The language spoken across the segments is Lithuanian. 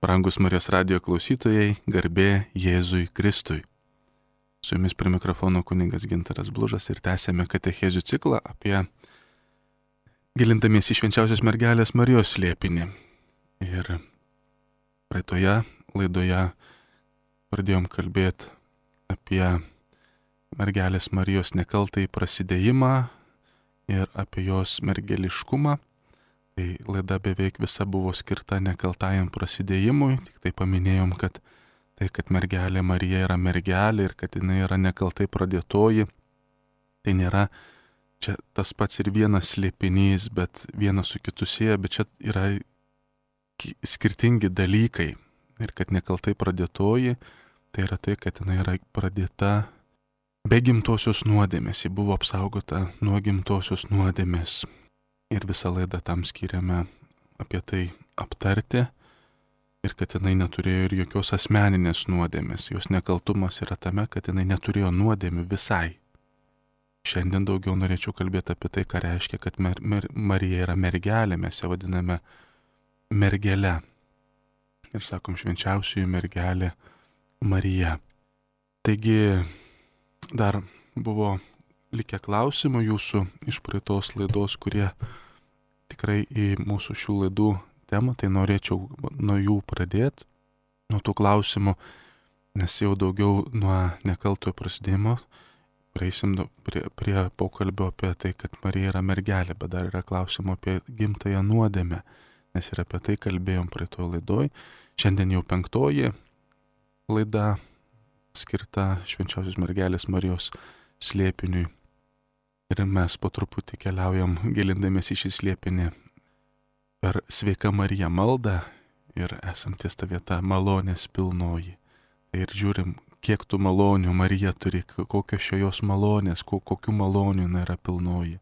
Brangus Marijos radijo klausytojai, garbė Jėzui Kristui. Su jumis prie mikrofono kunigas Gintaras Blužas ir tęsėme katechezių ciklą apie gilindamiesi į švenčiausios mergelės Marijos slėpinį. Ir praeitoje laidoje pradėjom kalbėti apie mergelės Marijos nekaltąjį prasidėjimą ir apie jos mergeliškumą. Tai laida beveik visa buvo skirta nekaltajam prasidėjimui, tik tai paminėjom, kad mergelė Marija yra mergelė ir kad jinai yra nekaltai pradėtoji, tai nėra čia tas pats ir vienas slėpinys, bet vienas su kitu sieja, bet čia yra skirtingi dalykai. Ir kad nekaltai pradėtoji, tai yra tai, kad jinai yra pradėta be gimtosios nuodėmės, ji buvo apsaugota nuo gimtosios nuodėmės. Ir visą laidą tam skiriame apie tai aptarti ir kad jinai neturėjo ir jokios asmeninės nuodėmės. Jos nekaltumas yra tame, kad jinai neturėjo nuodėmių visai. Šiandien daugiau norėčiau kalbėti apie tai, ką reiškia, kad Marija yra mergelė, mes ją vadiname mergele. Ir sakom švenčiausioji mergelė Marija. Taigi dar buvo likę klausimų jūsų iš praeitos laidos, kurie tikrai į mūsų šių laidų temą, tai norėčiau nuo jų pradėti, nuo tų klausimų, nes jau daugiau nuo nekaltojo prasidėjimo prieisim prie pokalbio apie tai, kad Marija yra mergelė, bet dar yra klausimų apie gimtąją nuodėmę, nes ir apie tai kalbėjom praeitoje laidoje. Šiandien jau 5. laida skirta švenčiausios mergelės Marijos slėpiniui. Ir mes po truputį keliaujam gilindamiesi į šį slėpinį per Sveika Marija maldą ir esam ties ta vieta malonės pilnoji. Ir žiūrim, kiek tų malonių Marija turi, kokios šios malonės, kokių malonių jinai yra pilnoji.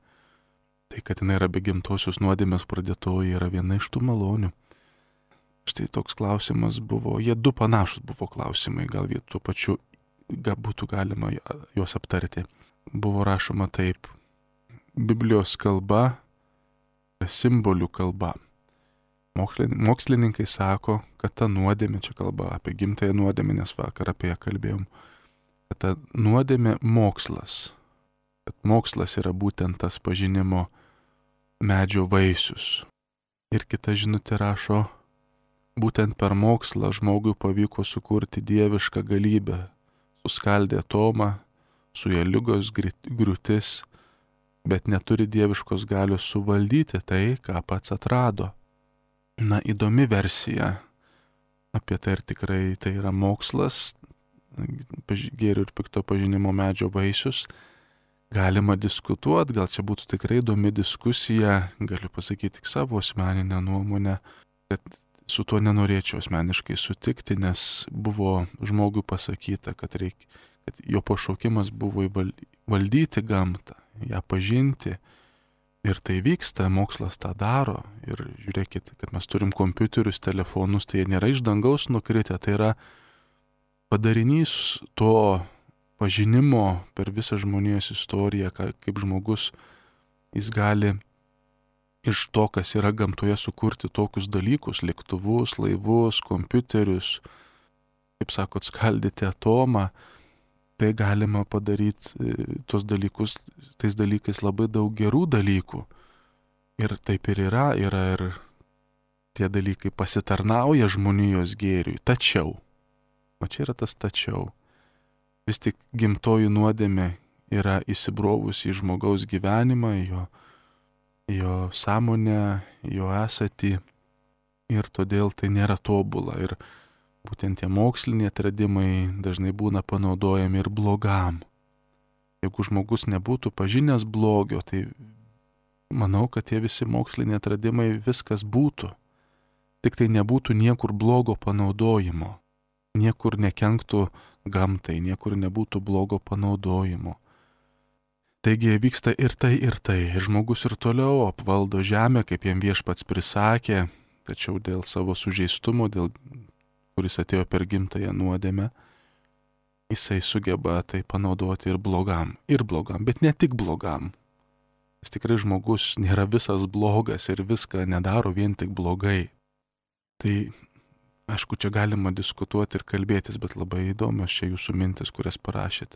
Tai, kad jinai yra be gimtosios nuodėmės pradėtoji, yra viena iš tų malonių. Štai toks klausimas buvo, jie du panašus buvo klausimai, gal tuo pačiu būtų galima juos aptarti. Buvo rašoma taip: Biblijos kalba, simbolių kalba. Mokslininkai sako, kad ta nuodėmė, čia kalba apie gimtąją nuodėmę, nes vakar apie ją kalbėjom, kad ta nuodėmė mokslas. Kad mokslas yra būtent tas pažinimo medžio vaisius. Ir kita žinutė rašo, būtent per mokslą žmogui pavyko sukurti dievišką galybę, suskaldė atomą, suėjo ligos griūtis, bet neturi dieviškos galios suvaldyti tai, ką pats atrado. Na, įdomi versija apie tai, ir tikrai tai yra mokslas, gėrio ir pikto pažinimo medžio vaisius. Galima diskutuoti, gal čia būtų tikrai įdomi diskusija, galiu pasakyti tik savo asmeninę nuomonę, kad su tuo nenorėčiau asmeniškai sutikti, nes buvo žmogui pasakyta, kad jo pašaukimas buvo valdyti gamtą, ją pažinti. Ir tai vyksta, mokslas tą daro. Ir žiūrėkit, kad mes turim kompiuterius, telefonus, tai jie nėra iš dangaus nukritę, tai yra padarinys to pažinimo per visą žmonijos istoriją, kaip žmogus, jis gali iš to, kas yra gamtoje, sukurti tokius dalykus, lėktuvus, laivus, kompiuterius, kaip sakot, skaldyti atomą. Tai galima padaryti tais dalykais labai daug gerų dalykų. Ir taip ir yra ir tie dalykai pasitarnauja žmonijos gėriui. Tačiau, o čia yra tas tačiau, vis tik gimtoji nuodėmė yra įsibrovusi į žmogaus gyvenimą, jo sąmonę, jo esatį, ir todėl tai nėra tobula. Ir būtent tie moksliniai atradimai dažnai būna panaudojami ir blogam. Jeigu žmogus nebūtų pažinęs blogio, tai manau, kad tie visi moksliniai atradimai viskas būtų. Tik tai nebūtų niekur blogo panaudojimo. Niekur nekenktų gamtai, niekur nebūtų blogo panaudojimo. Taigi vyksta ir tai, ir tai. Ir žmogus ir toliau apvaldo žemę, kaip jam viešpats prisakė, tačiau dėl savo sužeistumo, kuris atėjo per gimtąją nuodėmę, jisai sugeba tai panaudoti ir blogam, bet ne tik blogam. Jis tikrai žmogus nėra visas blogas ir viską nedaro vien tik blogai. Tai Aišku, čia galima diskutuoti ir kalbėtis, bet labai įdomios čia jūsų mintis, kurias parašėt.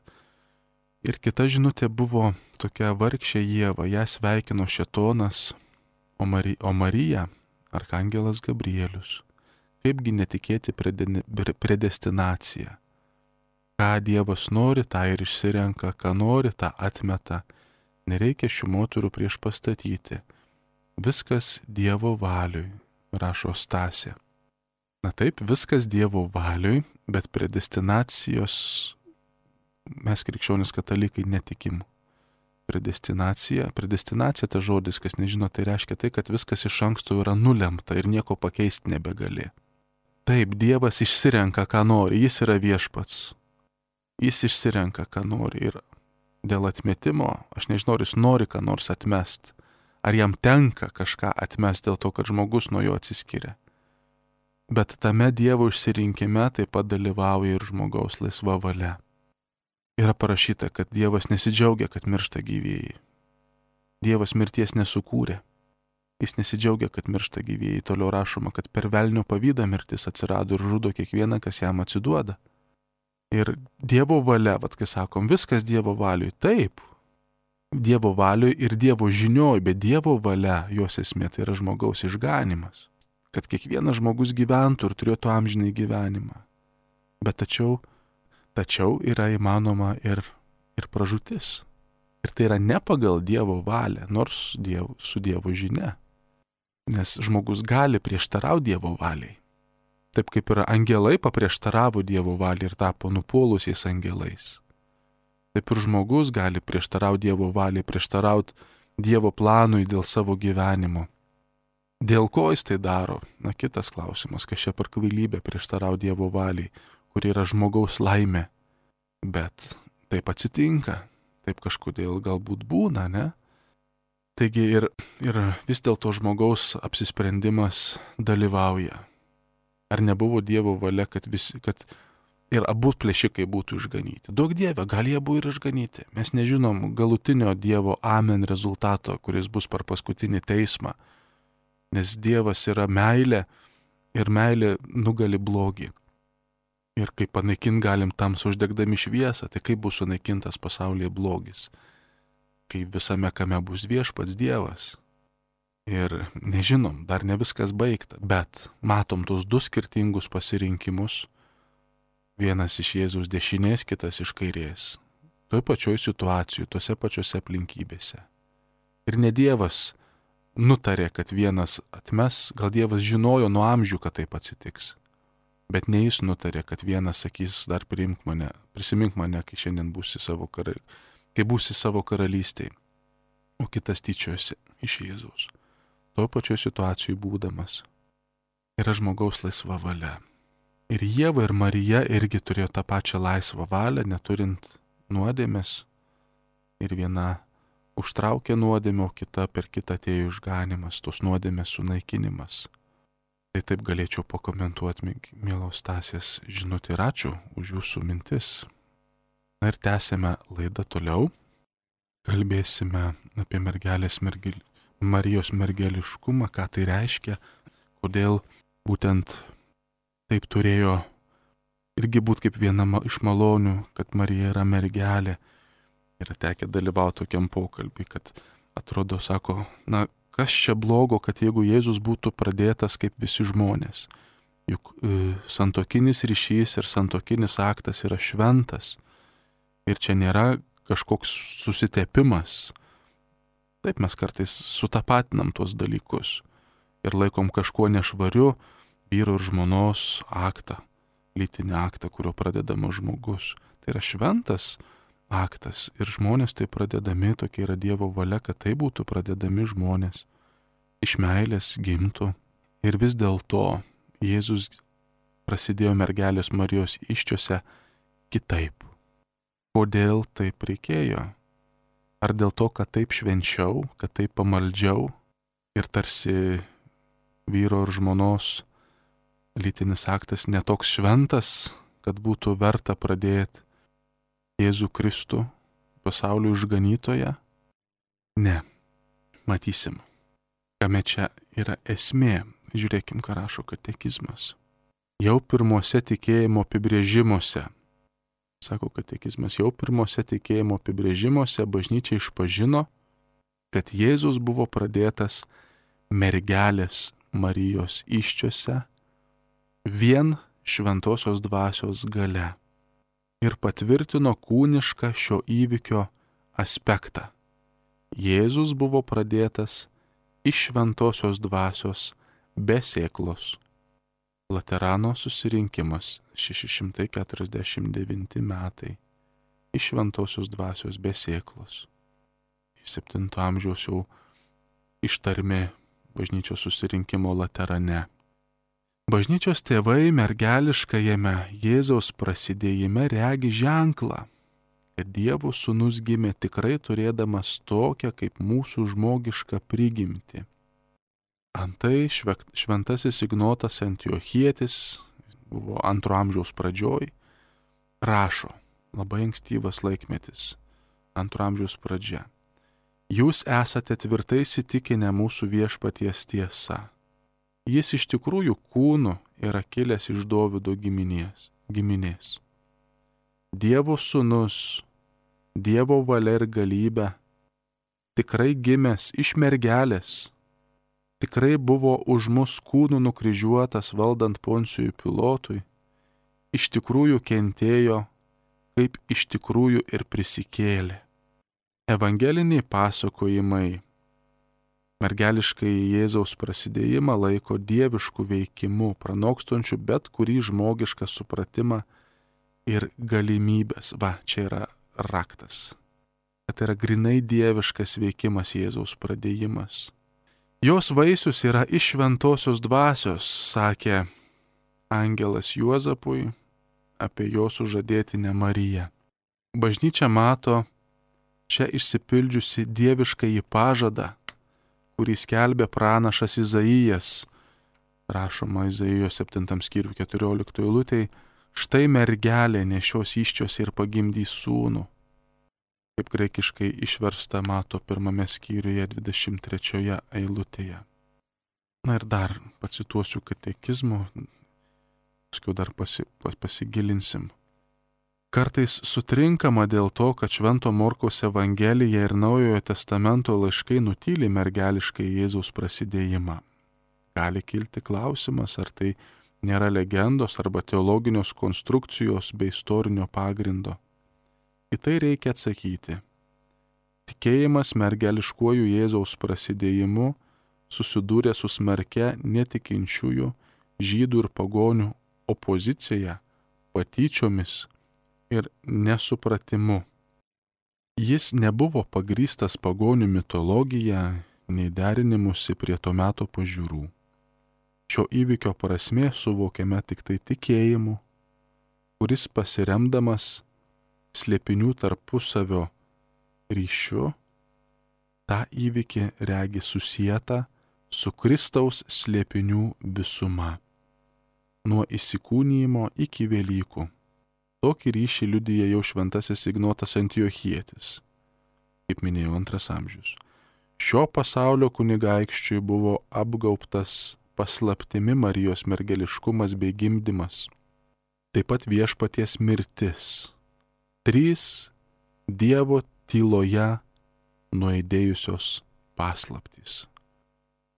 Ir kita žinutė buvo tokia: vargšė Ieva, ją sveikino šėtonas, o Marija arkangelas Gabrielius. Kaipgi netikėti predestinacija. Ką Dievas nori, tą ir išsirenka, ką nori, tą atmeta. Nereikia šių moterų prieš pastatyti. Viskas Dievo valiui, rašo Stasė. Na taip, viskas Dievo valiui, bet predestinacijos mes krikščionys katalikai netikim. Predestinacija ta žodis, kas nežino, tai reiškia tai, kad viskas iš anksto yra nulemta ir nieko pakeisti nebegali. Taip, Dievas išsirenka, ką nori, jis yra viešpats. Jis išsirenka, ką nori ir dėl atmetimo, aš nežinau, ar jis nori ką nors atmest, ar jam tenka kažką atmest dėl to, kad žmogus nuo jo atsiskiria. Bet tame Dievo išsirinkime taip pat dalyvauja ir žmogaus laisva valia. Yra parašyta, kad Dievas nesidžiaugia, kad miršta gyvieji. Dievas mirties nesukūrė. Jis nesidžiaugia, kad miršta gyvieji. Toliau rašoma, kad per velnio pavydą mirtis atsirado ir žudo kiekvieną, kas jam atsiduoda. Ir Dievo valia, kai sakom, viskas Dievo valiui, taip. Dievo valiui ir Dievo žinioj, bet Dievo valia, jos esmė, tai yra žmogaus išganimas. Kad kiekvienas žmogus gyventų ir turėtų amžinai gyvenimą. Bet tačiau yra įmanoma ir pražūtis. Ir tai yra ne pagal Dievo valią, nors su Dievo žinia. Nes žmogus gali prieštarauti Dievo valiai. Taip kaip ir angelai paprieštaravo Dievo valiai ir tapo nupuolusiais angelais. Taip ir žmogus gali prieštarauti Dievo valiai, prieštarauti Dievo planui dėl savo gyvenimo. Dėl ko jis tai daro? Na, kitas klausimas, kas čia per kvailybę prieštarauti Dievo valiai, kur yra žmogaus laimė. Bet taip atsitinka, taip kažkodėl galbūt būna, ne? Taigi ir vis dėlto žmogaus apsisprendimas dalyvauja. Ar nebuvo Dievo valia, kad ir abu plėšikai būtų išganyti? Duok Dieve, gal jie buvo ir išganyti. Mes nežinom galutinio Dievo amen rezultato, kuris bus per paskutinį teismą. Nes Dievas yra meilė ir meilė nugali blogį. Ir kaip panaikint galim tamsą uždegdami šviesą, tai kaip bus sunaikintas pasaulyje blogis. Kai visame kame bus viešpats Dievas. Ir nežinom, dar ne viskas baigta, bet matom tos du skirtingus pasirinkimus. Vienas iš Jėzaus dešinės, kitas iš kairės. Toj pačioj situacijoj, tose pačiose aplinkybėse. Ir ne Dievas nutarė, kad vienas atmes, gal Dievas žinojo nuo amžių, kad taip atsitiks. Bet ne jis nutarė, kad vienas sakys, dar prisimink mane, kai šiandien būsi savo karalystėje, o kitas tyčiosi iš Jėzaus. Tuo pačiu situacijų būdamas yra žmogaus laisva valia. Ir Ieva ir Marija irgi turėjo tą pačią laisvą valią, neturint nuodėmės. Ir viena užtraukė nuodėmę, o kita per kitą atėjo išganimas, tos nuodėmės sunaikinimas. Tai taip galėčiau pakomentuoti, mielos Stasės žinutę, ir ačiū už jūsų mintis. Na ir tęsime laidą toliau. Kalbėsime apie Marijos mergeliškumą, ką tai reiškia, kodėl būtent taip turėjo irgi būti kaip viena iš malonių, kad Marija yra mergelė. Yra tekę dalyvauti tokiam pokalbį, kad atrodo, sako, na, kas čia blogo, kad jeigu Jėzus būtų pradėtas kaip visi žmonės. Juk santuokinis ryšys ir santuokinis aktas yra šventas. Ir čia nėra kažkoks susitepimas. Taip mes kartais sutapatinam tuos dalykus ir laikom kažkuo nešvariu vyro ir žmonos aktą, lytinį aktą, kurio pradedamas žmogus. Tai yra šventas aktas ir žmonės tai pradedami, tokia yra Dievo valia, kad tai būtų pradedami žmonės. Iš meilės gimtų. Ir vis dėlto Jėzus prasidėjo mergelės Marijos įsčiose kitaip. Kodėl taip reikėjo? Ar dėl to, kad taip švenčiau, kad taip pamaldžiau ir tarsi vyro ir žmonos lytinis aktas netoks šventas, kad būtų verta pradėti Jėzų Kristų pasaulio išganytoją? Ne. Matysim, kame čia yra esmė. Žiūrėkim, ką rašo katekizmas. jau pirmose tikėjimo apibrėžimuose. Sako katekizmas, jau pirmose tikėjimo apibrėžimuose bažnyčia išpažino, kad Jėzus buvo pradėtas mergelės Marijos įsčiose vien šventosios dvasios galia ir patvirtino kūnišką šio įvykio aspektą. Jėzus buvo pradėtas iš šventosios dvasios be sėklos. Laterano susirinkimas 649 metai. Iš šventosios dvasios be sėklos. 7 amžiaus jau ištarmė bažnyčios susirinkimo Laterane. Bažnyčios tėvai mergeliškajame Jėzaus prasidėjime regi ženklą, kad Dievo sūnus gimė tikrai turėdamas tokią kaip mūsų žmogišką prigimtį. Antai šventasis Ignotas Antiochietis, buvo 2 amžiaus pradžioj, rašo, labai ankstyvas laikmetis, 2 amžiaus pradžia. Jūs esate tvirtai įsitikinę mūsų viešpaties tiesa. Jis iš tikrųjų kūnu yra kilęs iš Dovydo giminės. Dievo sūnus, Dievo valia ir galybė, tikrai gimęs iš mergelės, tikrai buvo už mus kūnų nukryžiuotas valdant Poncijui Pilotui, iš tikrųjų kentėjo, kaip iš tikrųjų ir prisikėlė. Evangeliniai pasakojimai mergeliškai Jėzaus prasidėjimą laiko dieviškų veikimu, pranokstančių bet kurį žmogišką supratimą ir galimybės. Va, čia yra raktas. Kad yra grinai dieviškas veikimas Jėzaus pradėjimas. Jos vaisius yra iš šventosios dvasios, sakė angelas Juozapui apie jo sužadėtinę Mariją. Bažnyčia mato čia išsipildžiusi dieviškąjį pažadą, kurį skelbė pranašas Izaijas, rašoma Izaijo 7 skyrių 14 eilutėj, štai mergelė nešios įsčiose ir pagimdys sūnų. Kaip graikiškai išversta mato 1 skyriuje 23 eilutėje. Na ir dar pacituosiu katekizmo, paskui dar pasigilinsim. Kartais sutrinkama dėl to, kad Švento Morkaus Evangelija ir Naujojo Testamento laiškai nutyli mergeliškai Jėzaus prasidėjimą. Gali kilti klausimas, ar tai nėra legendos arba teologinios konstrukcijos bei istorinio pagrindo. Į tai reikia atsakyti. Tikėjimas mergeliškuoju Jėzaus prasidėjimu susidūrė su smarkia netikinčiųjų žydų ir pagonių opozicija, patyčiomis ir nesupratimu. Jis nebuvo pagrįstas pagonių mitologija, nei derinimusi prie to meto pažiūrų. Šio įvykio prasmė suvokiame tik tai tikėjimu, kuris pasiremdamas slėpinių tarpusavio ryšiu, tą įvykį regi susietą su Kristaus slėpinių visuma, nuo įsikūnijimo iki Velykų. Tokį ryšį liudija jau šventasis Ignotas Antiochietis, kaip minėjau, 2 amžius. Šio pasaulio kunigaikščiui buvo apgaubtas paslaptimi Marijos mergeliškumas bei gimdymas, taip pat viešpaties mirtis. 3 Dievo tyloje nuaidėjusios paslaptys.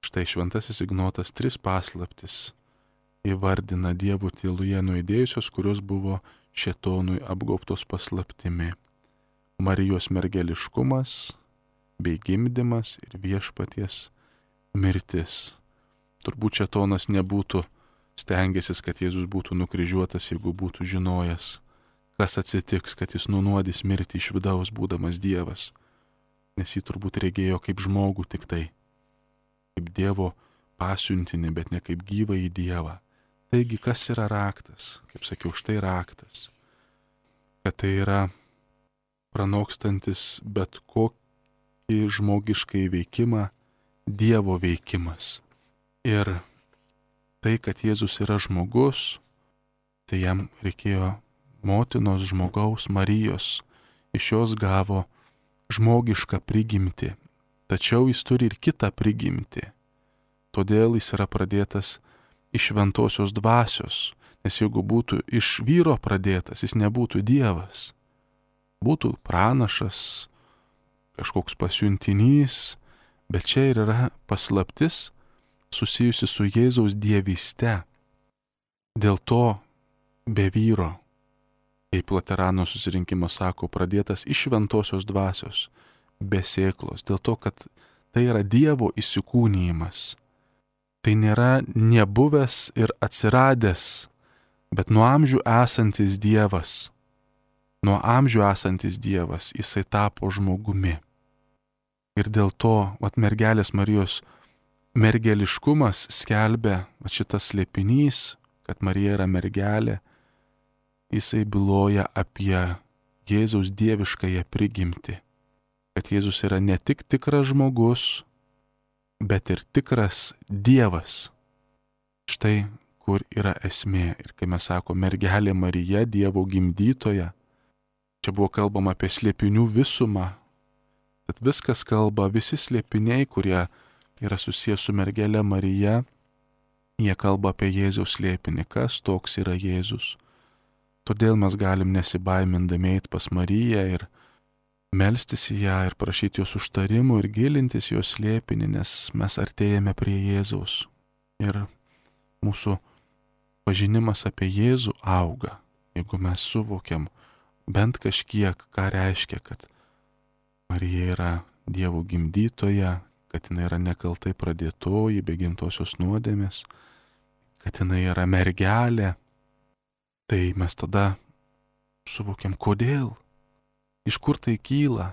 Štai šventasis Ignotas 3 paslaptis įvardina Dievo tyloje nuaidėjusios, kurios buvo šėtonui apgaubtos paslaptimi. Marijos mergeliškumas bei gimdymas ir viešpaties mirtis. Turbūt šėtonas nebūtų stengęsis, kad Jėzus būtų nukryžiuotas, jeigu būtų žinojęs, kas atsitiks, kad jis nunuodys mirti iš vidaus būdamas Dievas. Nes jį turbūt regėjo kaip žmogų tik tai, kaip Dievo pasiuntinį, bet ne kaip gyvą į Dievą. Taigi, kas yra raktas? Kaip sakiau, štai raktas. Kad tai yra pranokstantis bet kokį žmogiškai veikimą, Dievo veikimas. Ir tai, kad Jėzus yra žmogus, tai jam reikėjo motinos žmogaus Marijos. Iš jos gavo žmogišką prigimtį. Tačiau jis turi ir kitą prigimtį. Todėl jis yra pradėtas iš šventosios dvasios. Nes jeigu būtų iš vyro pradėtas, jis nebūtų Dievas. Būtų pranašas, kažkoks pasiuntinys, bet čia ir yra paslaptis susijusi su Jėzaus dievyste. Dėl to be vyro, kaip Laterano susirinkimas sako, pradėtas iš šventosios dvasios, be sėklos, dėl to, kad tai yra Dievo įsikūnijimas. Tai nėra nebuvęs ir atsiradęs, bet nuo amžių esantis Dievas. Nuo amžių esantis Dievas, jisai tapo žmogumi. Ir dėl to, mergelės Marijos mergeliškumas skelbia šitas slėpinys, kad Marija yra mergelė, jisai byloja apie Jėzaus dieviškąją prigimtį. Kad Jėzus yra ne tik tikras žmogus, bet ir tikras Dievas. Štai kur yra esmė. Ir kai mes sakome mergelė Marija, Dievo gimdytoja, čia buvo kalbama apie slėpinių visumą. Tad viskas kalba, visi slėpiniai, kurie yra susijęs su mergelė Marija, jie kalba apie Jėzaus slėpinį, kas toks yra Jėzus. Todėl mes galim nesibaimindami eiti pas Mariją ir melstis į ją ir prašyti jos užtarimų ir gilintis jos slėpinį, nes mes artėjame prie Jėzaus. Ir mūsų pažinimas apie Jėzų auga, jeigu mes suvokiam bent kažkiek, ką reiškia, kad Marija yra Dievo gimdytoja, kad jinai yra nekaltai pradėtoji, be gimtosios nuodėmės, kad jinai yra mergelė, tai mes tada suvokiam, kodėl, iš kur tai kyla,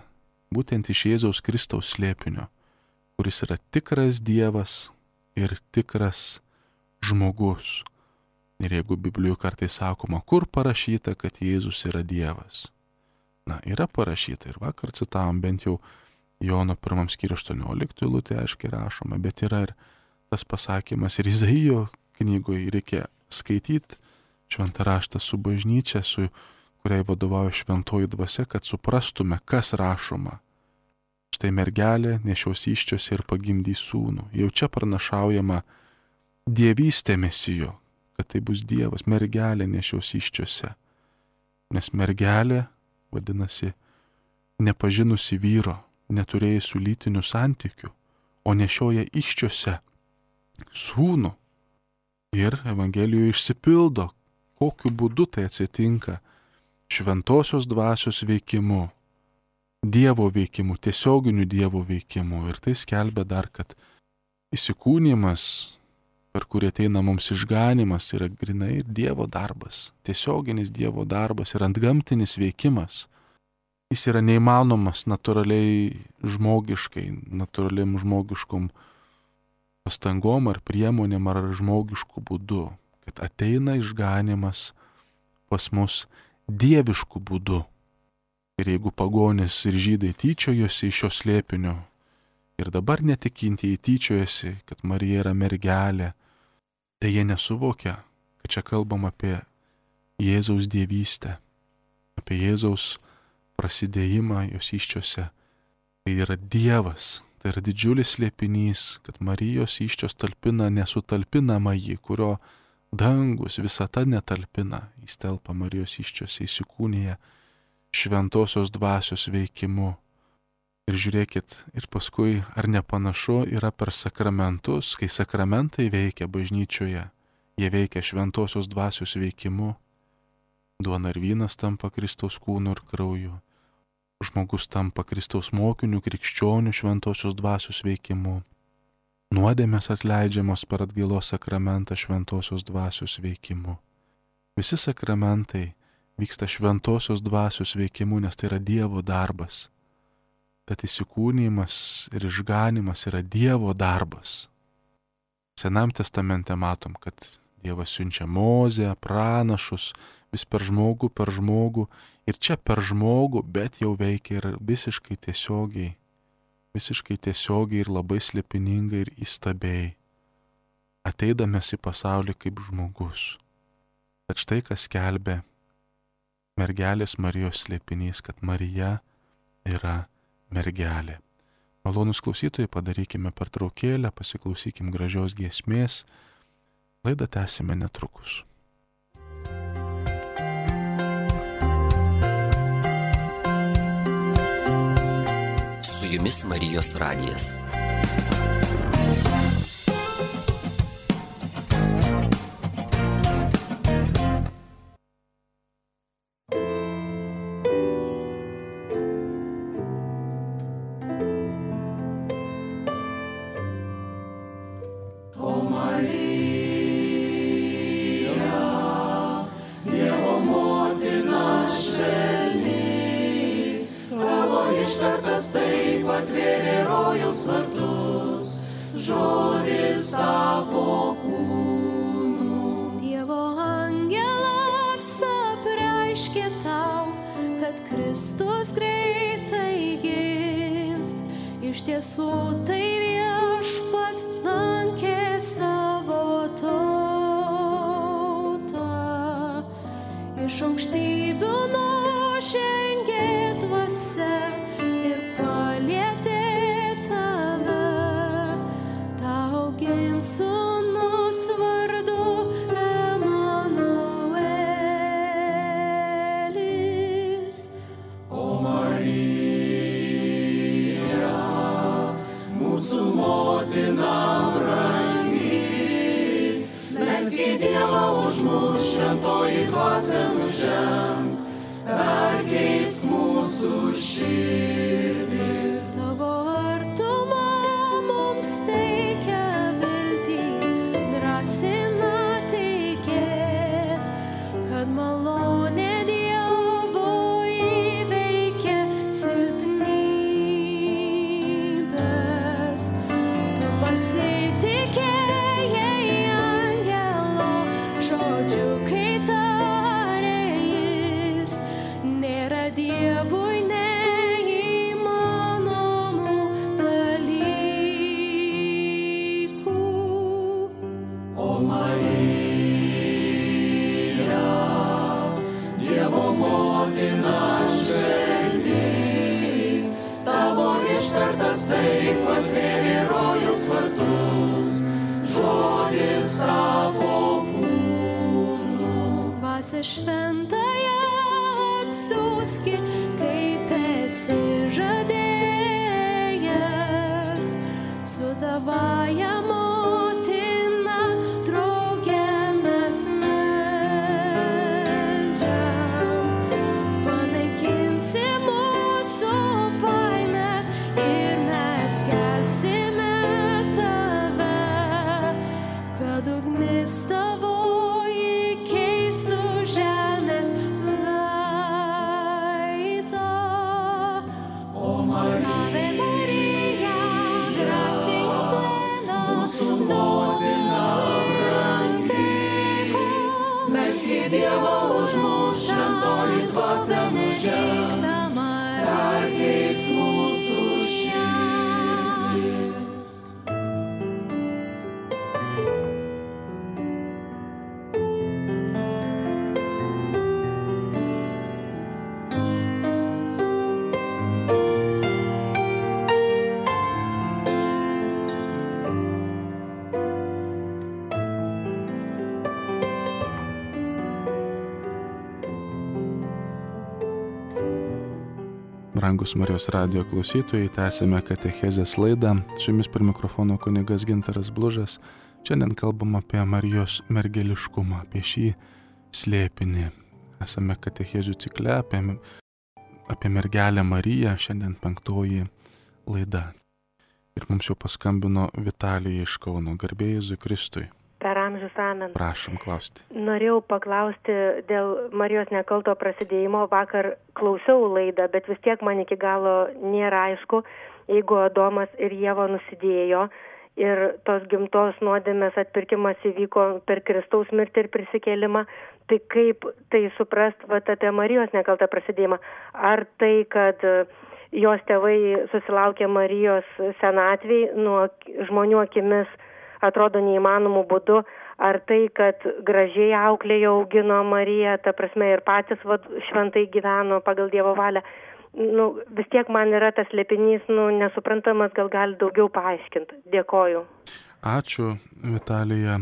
būtent iš Jėzaus Kristaus slėpinio, kuris yra tikras Dievas ir tikras žmogus. Ir jeigu Biblijoje kartais sakoma, kur parašyta, kad Jėzus yra Dievas. Na, yra parašyta ir vakar citavom bent jau Jono 1 skyriuje 18 eilutė aiškiai rašoma, bet yra ir tas pasakymas ir Izaijo knygoje reikia skaityti šventą raštą su bažnyčia, su kuriai vadovauja šventoji dvasia, kad suprastume, kas rašoma. Štai mergelė nešios įsčiose ir pagimdys sūnų. Jau čia pranašaujama dievystė Mesijo, kad tai bus Dievas, mergelė nešios įsčiose. Nes mergelė, vadinasi, nepažinusi vyro, neturėjusių lytinių santykių, o nešioja įsčiose sūnų. Ir Evangelijoje išsipildo, kokiu būdu tai atsitinka šventosios dvasios veikimu, Dievo veikimu, tiesioginiu Dievo veikimu. Ir tai skelbia dar, kad įsikūnijimas, per kurį ateina mums išganimas, yra grinai ir Dievo darbas, tiesioginis Dievo darbas ir antgamtinis veikimas. Jis yra neįmanomas natūraliai žmogiškai, natūraliam žmogiškom pastangom ar priemonėm ar žmogiškų būdų, kad ateina išganimas pas mus dieviškų būdų. Ir jeigu pagonys ir žydai tyčiojosi iš šio slėpinio ir dabar netikintieji tyčiojasi, kad Marija yra mergelė, tai jie nesuvokia, kad čia kalbam apie Jėzaus dievystę, apie Jėzaus prasidėjimą jos įsčiose. Tai yra Dievas, tai yra didžiulis slėpinys, kad Marijos įsčios talpina nesutalpinamąjį, kurio dangus visata netalpina. Jis telpa Marijos įsčiose, įsikūnija šventosios dvasios veikimu. Ir žiūrėkit, ir paskui, ar nepanašu yra per sakramentus, kai sakramentai veikia bažnyčioje, jie veikia šventosios dvasios veikimu. Duona ir vynas tampa Kristaus kūnu ir krauju. Žmogus tampa Kristaus mokiniu, krikščioniu šventosios dvasios veikimu. Nuodėmės atleidžiamos per atgailos sakramentą šventosios dvasios veikimu. Visi sakramentai vyksta šventosios dvasios veikimu, nes tai yra Dievo darbas. Tad įsikūnijimas ir išganimas yra Dievo darbas. Senam testamente matom, kad Dievas siunčia Mozę, pranašus, vis per žmogų ir čia per žmogų, bet jau veikia ir visiškai tiesiogiai ir labai slėpiningai ir įstabiai, ateidamas į pasaulį kaip žmogus. Tad štai kas skelbia mergelės Marijos slėpinys, kad Marija yra mergelė. Malonūs klausytojai, padarykime pertraukėlę, pasiklausykim gražios giesmės, laidą tęsime netrukus. Radijas Marijos radijas. Brangus Marijos radijo klausytojai, tęsime katechezės laidą. Su jumis prie mikrofono kunigas Gintaras Blužas. Šiandien kalbam apie Marijos mergeliškumą, apie šį slėpinį. Esame katechezių cikle apie mergelę Mariją, šiandien 5 laida. Ir mums jau paskambino Vitalija iš Kauno. Garbė Jėzui Kristui. Per amžius amen. Prašom klausti. Norėjau paklausti dėl Marijos nekalto prasidėjimo. Vakar klausiau laidą, bet vis tiek man iki galo nėra aišku, jeigu Adomas ir Ieva nusidėjo ir tos gimtos nuodėmės atpirkimas įvyko per Kristaus mirtį ir prisikėlimą, tai kaip tai suprast apie Marijos nekaltą prasidėjimą? Ar tai, kad jos tėvai susilaukė Marijos senatvėj, nuo žmonių akimis atrodo neįmanomų būdų, ar tai, kad gražiai auklėjo augino Mariją, ta prasme ir patys šventai gyveno pagal Dievo valią. Vis tiek man yra tas slėpinys, nesuprantamas, gal gali daugiau paaiškinti. Dėkoju. Ačiū, Vitalija,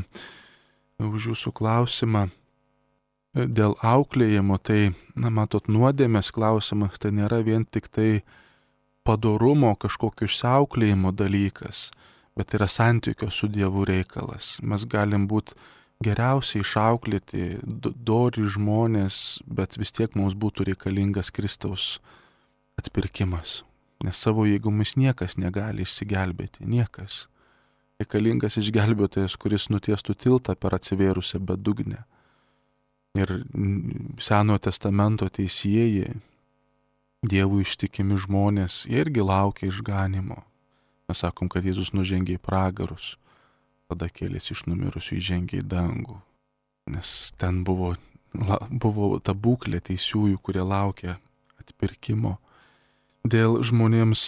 už jūsų klausimą. Dėl auklėjimo, tai, matot, nuodėmės klausimas, tai nėra vien tik tai padorumo, kažkokio išsiauklėjimo dalykas, bet tai yra santykio su Dievu reikalas. Mes galim būti geriausiai išauklėti, dori žmonės, bet vis tiek mums būtų reikalingas Kristaus atpirkimas. Nes savo jėgomis niekas negali išsigelbėti, niekas. Reikalingas išgelbėtojas, kuris nutiestų tiltą per atsivėrusią bedugnę. Ir Senojo testamento teisėjai, Dievui ištikimi žmonės, jie irgi laukia išganimo. Mes sakom, kad Jėzus nužengė į pragarus, tada kėlėsi iš numirusių, įžengė į dangų. Nes ten buvo ta būklė teisiųjų, kurie laukia atpirkimo. Dėl žmonėms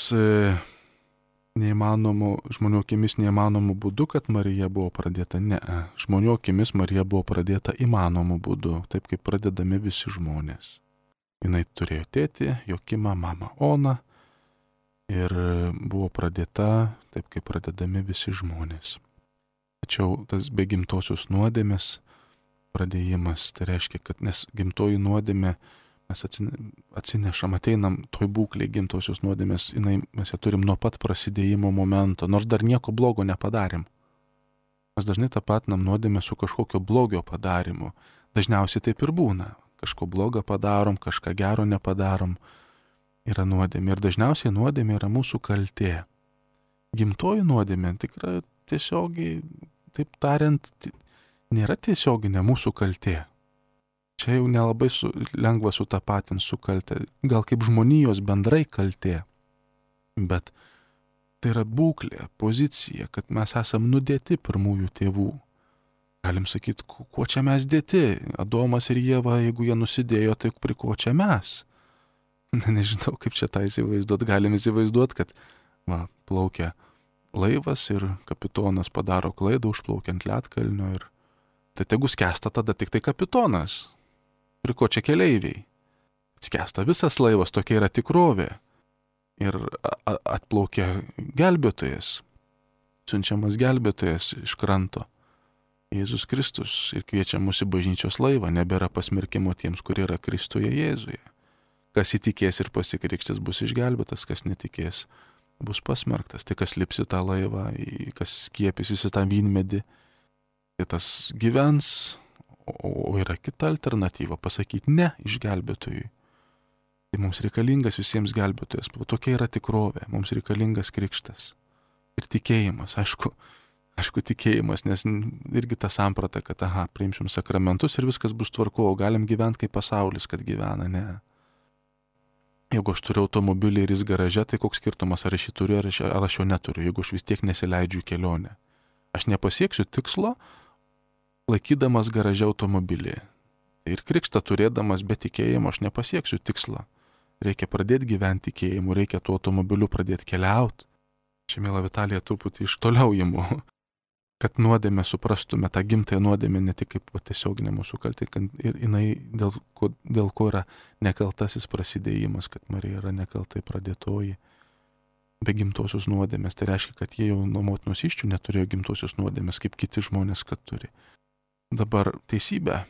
žmonių akimis neįmanomų būdų, kad Marija buvo pradėta. Ne, žmonių akimis Marija buvo pradėta įmanomų būdų, taip kaip pradedami visi žmonės. Jinai turėjo tėtį, Jokimą, mamą Oną ir buvo pradėta taip, kaip pradedami visi žmonės. Tačiau tas be gimtosios nuodėmės pradėjimas, tai reiškia, kad nes gimtoji nuodėmė mes atsinešam, ateinam toj būklėj gimtosios nuodėmės, mes ją turim nuo pat prasidėjimo momento, nors dar nieko blogo nepadarėm. Mes dažnai tapatinam nuodėmę su kažkokio blogio padarimu. Dažniausiai taip ir būna. Kažko blogą padarom, kažką gero nepadarom, yra nuodėmė. Ir dažniausiai nuodėmė yra mūsų kaltė. Gimtoji nuodėmė tikrai tiesiogiai, taip tariant, nėra tiesioginė mūsų kaltė. Čia jau nelabai lengva sutapatinti su kaltė. Gal kaip žmonijos bendrai kaltė. Bet tai yra būklė, pozicija, kad mes esam nudėti pirmųjų tėvų. Galim sakyti, kuo čia mes dėti? Adomas ir Ieva, jeigu jie nusidėjo, tai prie ko čia mes? Nežinau, kaip čia tą įsivaizduot. Galim įsivaizduot, kad plaukia laivas ir kapitonas padaro klaidą, užplaukia ant ledkalnio ir tai tegu skęsta tada tik tai kapitonas. Prie ko čia keleiviai? Skęsta visas laivas, tokia yra tikrovė. Ir atplaukia gelbėtojas, siunčiamas gelbėtojas iš kranto. Jėzus Kristus ir kviečia mus į bažnyčios laivą, nebėra pasmerkimo tiems, kurie yra Kristuje Jėzuje. Kas įtikės ir pasikrikštys bus išgelbėtas, kas netikės bus pasmerktas. Tai kas lips į tą laivą, kas skiepysis į tą vynmedį, tai tas gyvens, o yra kita alternatyva pasakyti ne išgelbėtojui. Tai mums reikalingas visiems gelbėtojas. Tokia yra tikrovė, mums reikalingas krikštas. Ir tikėjimas, aišku tikėjimas, nes irgi ta samprata, kad priimsim sakramentus ir viskas bus tvarko, o galim gyventi kaip pasaulis, kad gyvena, ne. Jeigu aš turiu automobilį ir jis garaže, tai koks skirtumas, ar aš jį turiu, ar aš jo neturiu, jeigu aš vis tiek nesileidžiu į kelionę. Aš nepasieksiu tikslo, laikydamas garaže automobilį. Ir krikštą turėdamas be tikėjimo aš nepasieksiu tikslo. Reikia pradėti gyventi tikėjimu, reikia tuo automobiliu pradėti keliauti. Čia, mėla Vitalija, truputį iš toliau imu, kad nuodėmę suprastume, tą gimtąją nuodėmę ne tik kaip tiesioginę mūsų kaltę, ir jinai dėl ko yra nekaltasis prasidėjimas, kad Marija yra nekaltai pradėtoji. Be gimtosios nuodėmės, tai reiškia, kad jie jau nuo motinos įsčių neturėjo gimtosios nuodėmės, kaip kiti žmonės, kad turi. Dabar teisybė.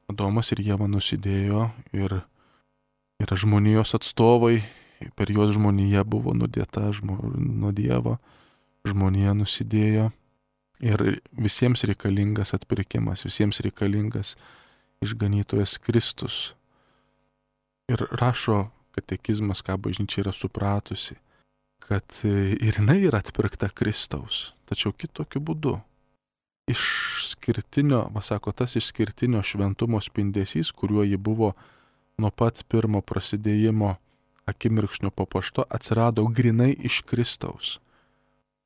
Adomas ir Ieva nusidėjo ir yra žmonijos atstovai, per juos žmonija buvo nudėta nuo Dievo, žmonija nusidėjo ir visiems reikalingas atpirkimas, visiems reikalingas išganytojas Kristus. Ir rašo katekizmas, ką bažnyčia yra supratusi, kad ir jinai yra atpirkta Kristaus, tačiau kitokiu būdu. Tas išskirtinio šventumo spindesys, kuriuo ji buvo nuo pat pirmo prasidėjimo akimirksnio papuošto, atsirado grinai iš Kristaus.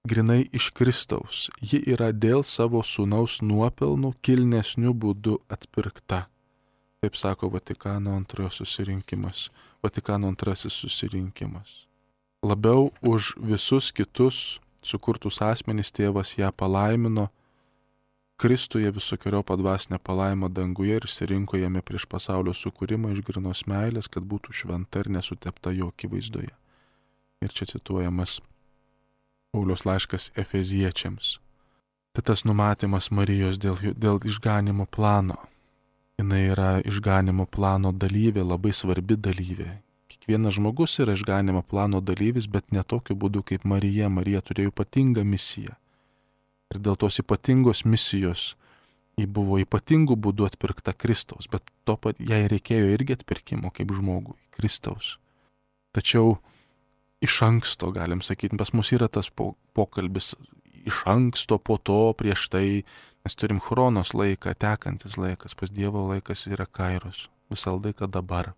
Grinai iš Kristaus. Ji yra dėl savo sūnaus nuopelnų kilnesnių būdų atpirkta. Taip sako Vatikano antrasis susirinkimas. Labiau už visus kitus sukurtus asmenys tėvas ją palaimino, Kristuje visokeriopą dvasinę palaimą danguje ir išsirinko jame prieš pasaulio sukūrimą iš grynos meilės, kad būtų šventa ir nesutepta jo akivaizdoje. Ir čia cituojamas Pauliaus laiškas Efeziečiams. Tai tas numatymas Marijos dėl išganimo plano. Jinai yra išganimo plano dalyvė, labai svarbi dalyvė. Kiekvienas žmogus yra išganimo plano dalyvis, bet ne tokiu būdu kaip Marija. Marija turėjo ypatingą misiją. Ir dėl tos ypatingos misijos ji buvo ypatingų būdų atpirkta Kristaus, bet jai reikėjo irgi atpirkimo kaip žmogui, Kristaus. Tačiau iš anksto, galim sakyti, pas mus yra tas pokalbis iš anksto, po to, prieš tai, mes turim chronos laiką, tekantis laikas, pas Dievo laikas yra kairos, visą laiką dabar.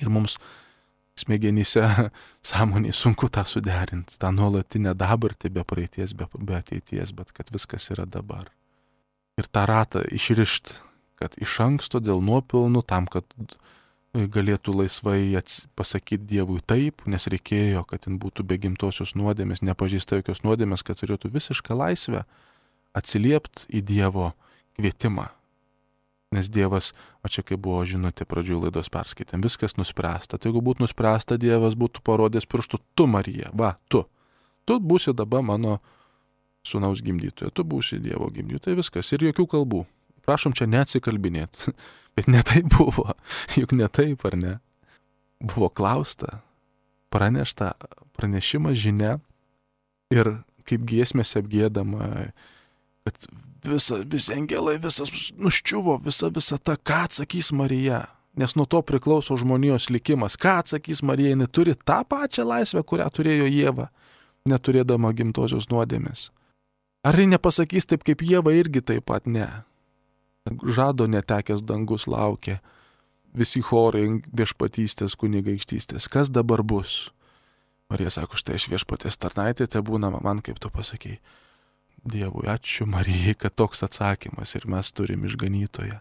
Ir mums smegenyse, sąmonėje sunku tą suderinti, tą nuolatinę dabartį be praeities, be ateities, bet kad viskas yra dabar. Ir tą ratą išrišt, kad iš anksto dėl nuopelnų, tam, kad galėtų laisvai pasakyti Dievui taip, nes reikėjo, kad jin būtų be gimtosios nuodėmės, nepažįsta jokios nuodėmės, kad turėtų visišką laisvę atsiliepti į Dievo kvietimą. Nes Dievas, o čia kaip buvo žinutė pradžioj laidos perskaitėm, viskas nuspręsta. Tai jeigu būtų nuspręsta, Dievas būtų parodęs pirštų, tu Marija, va, tu būsi dabar mano sūnaus gimdytoja, tu būsi Dievo gimdytoja, viskas ir jokių kalbų. Prašom čia neatsikalbinėti, bet ne taip buvo, juk ne taip, ar ne? Buvo klausta, pranešta, pranešimas, žinia ir kaip giesmėse apgiedama, kad visi angelai, visas nuščiuvo, visa ta, ką atsakys Marija, nes nuo to priklauso žmonijos likimas, ką atsakys Marija, jinai turi tą pačią laisvę, kurią turėjo Ieva, neturėdama gimtosios nuodėmės. Ar ji nepasakys taip kaip Ieva, irgi taip pat ne. Žado netekęs dangus laukia, visi chorai viešpatystės, kunigaikštystės, kas dabar bus? Marija sako, štai aš viešpatės tarnaitė, te būna man, kaip tu pasakei. Dievui, ačiū Marijai, kad toks atsakymas ir mes turim išganytoją.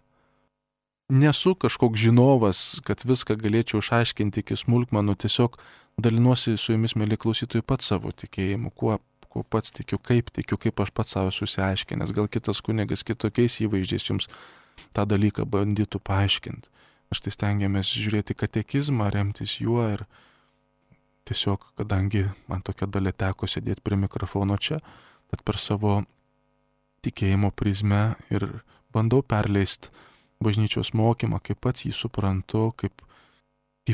Nesu kažkoks žinovas, kad viską galėčiau išaiškinti iki smulkmenų, tiesiog dalinuosi su jumis, mėly klausytojai, pats savo tikėjimu, kuo pats tikiu, kaip aš pats savo susiaiškinęs. Gal kitas kunigas kitokiais įvaizdžiais jums tą dalyką bandytų paaiškinti. Aš tai stengiamės žiūrėti katekizmą, remtis juo ir tiesiog, kadangi man tokia dalia teko sėdėti prie mikrofono čia, tad per savo tikėjimo prizmę ir bandau perleisti bažnyčios mokymą, kaip pats jį suprantu, kaip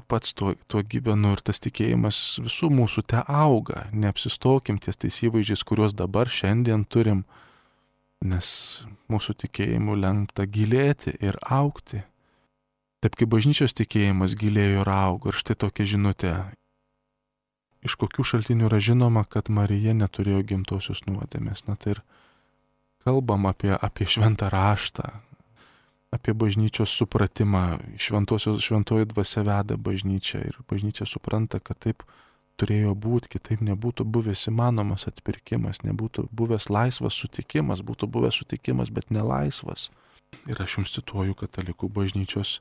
pats tuo gyvenu ir tas tikėjimas visų mūsų te auga. Neapsistokim ties tais įvaizdžiais, kuriuos dabar šiandien turim, nes mūsų tikėjimu lemta gilėti ir augti. Taip kaip bažnyčios tikėjimas gilėjo ir augo. Ir štai tokia žinutė. Iš kokių šaltinių yra žinoma, kad Marija neturėjo gimtosios nuodėmės. Na tai ir kalbam apie šventą raštą, apie bažnyčios supratimą. Šventoji dvasia veda bažnyčią ir bažnyčia supranta, kad taip turėjo būti, kitaip nebūtų buvęs įmanomas atpirkimas, nebūtų buvęs laisvas sutikimas, būtų buvęs sutikimas, bet nelaisvas. Ir aš jums cituoju katalikų bažnyčios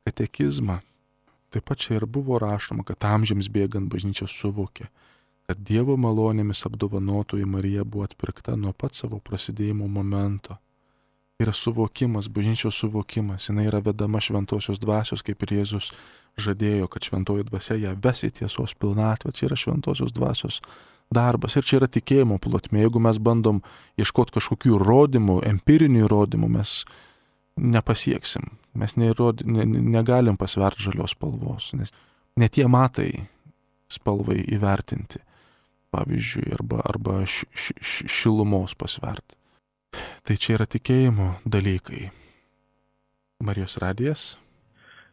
katekizmą. Taip pat čia ir buvo rašoma, kad amžiams bėgant bažnyčia suvokė, kad Dievo malonėmis apdovanotoji Marija buvo atpirkta nuo pat savo prasidėjimo momento. Yra suvokimas, bažnyčios suvokimas, jinai yra vedama šventosios dvasios, kaip ir Jėzus žadėjo, kad šventoji dvasia ją ves į tiesos pilnatvę. Čia yra šventosios dvasios darbas ir čia yra tikėjimo plotmė. Jeigu mes bandom ieškoti kažkokių įrodymų, empirinių įrodymų, mes nepasieksim. Mes negalim pasverti žalios spalvos, nes ne tie matai spalvai įvertinti, pavyzdžiui, arba šilumos pasverti. Tai čia yra tikėjimo dalykai. Marijos radijas.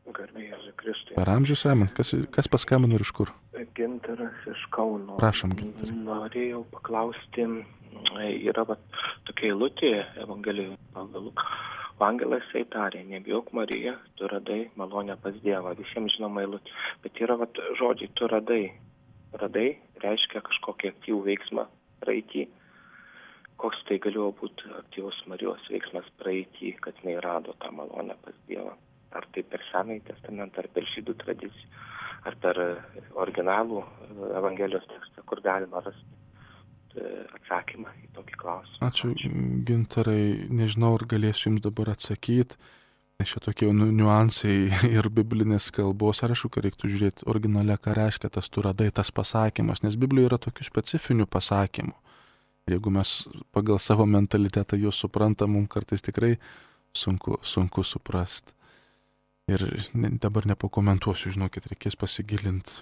Garbė Jėzui Kristui. Per amžius amen. Kas paskambino ir iš kur? Gintaras iš Kauno. Prašom, Gintarai. Norėjau paklausti, yra tokia eilutė Evangelijoje pagal Luką. Angelas jai tarė, nebijok Marija, tu radai malonę pas Dievą. Visiems žinoma eilutė. Bet yra žodžiai, tu radai. Radai reiškia kažkokį aktyvų veiksmą praeitį. Koks tai galėjo būti aktyvus Marijos veiksmas praeitį, kad jinai rado tą malonę pas Dievą. Ar tai per Senąjį testamentą, ar per žydų tradiciją, ar per originalų Evangelijos tekstą, kur galima rasti atsakymą į tokį klausimą. Ačiū, Gintarai. Nežinau, ar galėsiu jums dabar atsakyti, nes čia tokie niuansai ir biblinės kalbos. Ar aišku, kad reiktų žiūrėti originale, ką reiškia tas tu radai, tas pasakymas, nes Biblijoje yra tokių specifinių pasakymų. Ir jeigu mes pagal savo mentalitetą juos suprantam, mums kartais tikrai sunku suprasti. Ir dabar nepakomentuosiu, žinokit, reikės pasigilinti.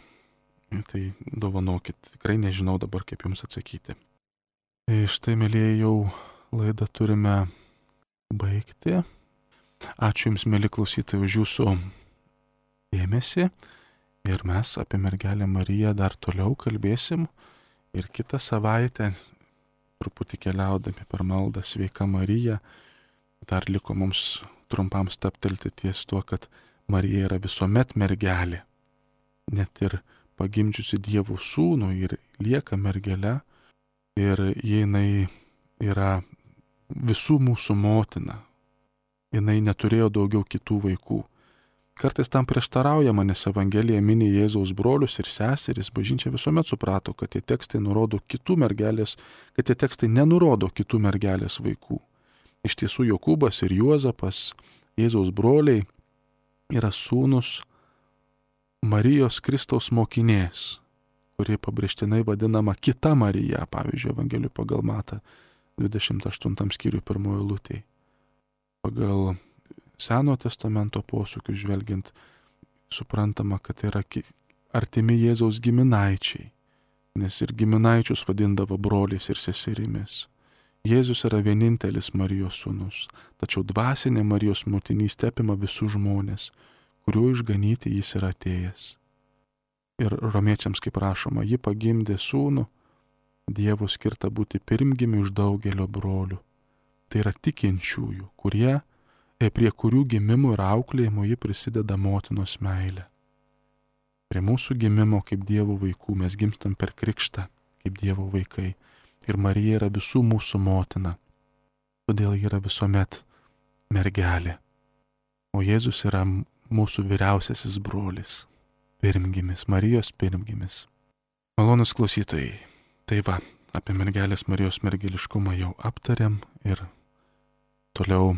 Tai dovanokit, tikrai nežinau dabar, kaip jums atsakyti. Štai, mėlyje, jau laidą turime baigti. Ačiū jums, mėly klausytojai, už jūsų dėmesį. Ir mes apie mergelę Mariją dar toliau kalbėsim. Ir kitą savaitę, truputį keliaudami per maldą Sveika Marija, dar liko mums trumpam stabtelti ties tuo, kad Marija yra visuomet mergelė. Net ir pagimdžiusi Dievo sūnų ir lieka mergele. Ir jinai yra visų mūsų motina. Jinai neturėjo daugiau kitų vaikų. Kartais tam prieštaraujama, nes Evangelija mini Jėzaus brolius ir seseris. Bažnyčia visuomet suprato, kad tie tekstai nurodo kitų mergelės, kad tie tekstai nenurodo kitų mergelės vaikų. Iš tiesų Jokūbas ir Juozapas, Jėzaus broliai, yra sūnus Marijos Kristaus mokinės, kuri pabrėžtinai vadinama kita Marija, pavyzdžiui, Evangelijų pagal Matą 28 skyriui 1 eilutėje. Pagal Senojo testamento posūkių žvelgiant, suprantama, kad yra artimi Jėzaus giminaičiai, nes ir giminaičius vadindavo broliais ir seserimis. Jėzus yra vienintelis Marijos sūnus, tačiau dvasinė Marijos motinystė apima visus žmonės, kuriuo išganyti jis yra atėjęs. Ir romiečiams, kaip rašoma, ji pagimdė sūnų, Dievo skirta būti pirmgimiu iš daugelio brolių. Tai yra tikinčiųjų, prie kurių gimimo ir auklėjimo ji prisideda motinos meilė. Prie mūsų gimimo kaip Dievo vaikų mes gimstam per krikštą kaip Dievo vaikai. Ir Marija yra visų mūsų motina. Todėl ji yra visuomet mergelė. O Jėzus yra mūsų vyriausiasis brolis. Pirmgimis, Marijos pirmgimis. Malonūs klausytojai, tai va, apie mergelės Marijos mergeliškumą jau aptarėm ir toliau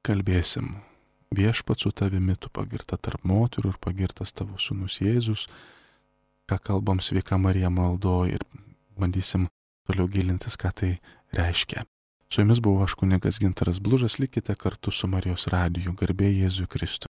kalbėsim. Viešpats su tavimi, tu pagirta tarp moterų ir pagirtas tavo sūnus Jėzus, ką kalbam Sveika Marija maldoj ir bandysim toliau gilintis, ką tai reiškia. Su jumis buvau aš kunigas Gintaras Blužas, likite kartu su Marijos radiju, garbė Jėzui Kristui.